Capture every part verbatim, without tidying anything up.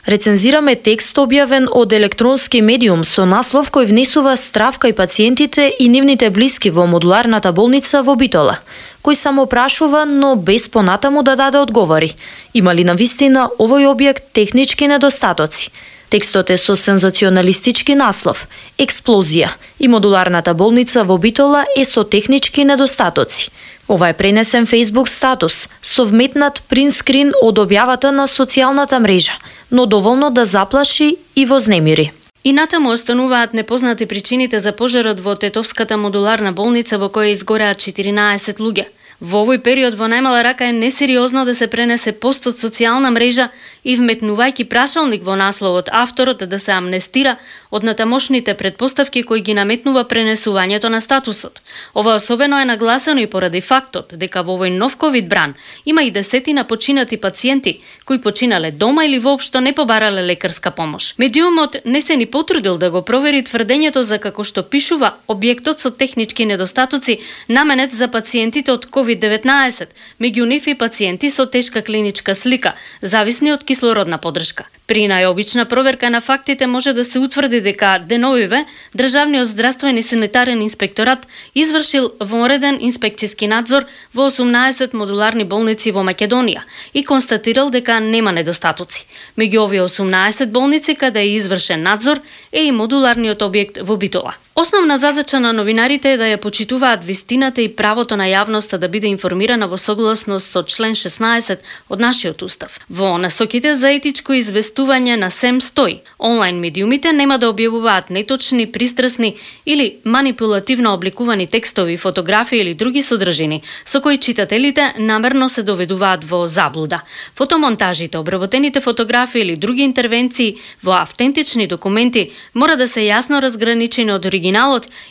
Рецензираме текст објавен од електронски медиум со наслов кој внесува страв кај пациентите и нивните блиски во модуларната болница во Битола, кој само прашува, но без понатаму да даде одговори. Има ли навистина овој објект технички недостатоци? Текстот е со сензационалистички наслов «Експлозија» и модуларната болница во Битола е со технички недостатоци. Ова е пренесен Facebook статус, совметнат принтскрин од објавата на социјалната мрежа, но доволно да заплаши и вознемири. И натаму остануваат непознати причините за пожарот во Тетовската модуларна болница во која изгореа четиринаесет луѓе. Во овој период во најмала рака е несериозно да се пренесе пост од социјална мрежа и вметнувајќи прашалник во насловот авторот да се амнестира од натамошните предпоставки кои ги наметнува пренесувањето на статусот. Ова особено е нагласено и поради фактот дека во овој нов ковид бран има и десетина починати пациенти кои починале дома или воопшто не побарале лекарска помош. Медиумот не се ни потрудил да го провери тврдењето за како што пишува објектот со технички недостатоци наменет за пациентите од ковид деветнаесет, меѓу нив и пациенти со тешка клиничка слика, зависни од кислородна поддршка. При најобична проверка на фактите може да се утврди дека деновиве Државниот здравствен и санитарен инспекторат извршил вонреден инспекцијски надзор во осумнаесет модуларни болници во Македонија и констатирал дека нема недостатоци. Меѓу овие осумнаесет болници каде е извршен надзор е и модуларниот објект во Битола. Основна задача на новинарите е да ја почитуваат вистината и правото на јавноста да биде информирана во согласност со член шеснаесет од нашиот устав. Во насоките за етичко известување на СЕМ стои: онлайн медиумите нема да објавуваат неточни, пристрасни или манипулативно обликувани текстови, фотографии или други содржини со кои читателите намерно се доведуваат во заблуда. Фотомонтажите, обработените фотографии или други интервенции во автентични документи мора да се јасно разграничени од оригиналот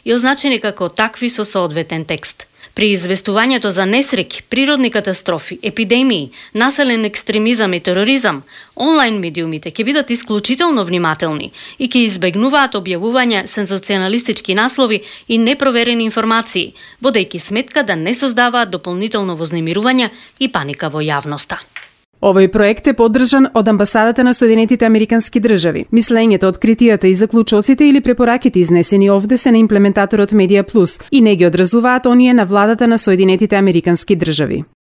и означени како такви со соодветен текст. При известувањето за несреќи, природни катастрофи, епидемии, населен екстремизам и тероризам, онлайн медиумите ќе бидат исклучително внимателни и ќе избегнуваат објавување сензационалистички наслови и непроверени информации, водејќи сметка да не создаваат дополнително вознемирување и паника во јавноста. Овој проект е поддржан од Амбасадата на Соединетите Американски држави. Мислењето, откритијата и заклучоците или препораките изнесени овде се на имплементаторот Медија Плюс и не ги одразуваат оние на владата на Соединетите Американски држави.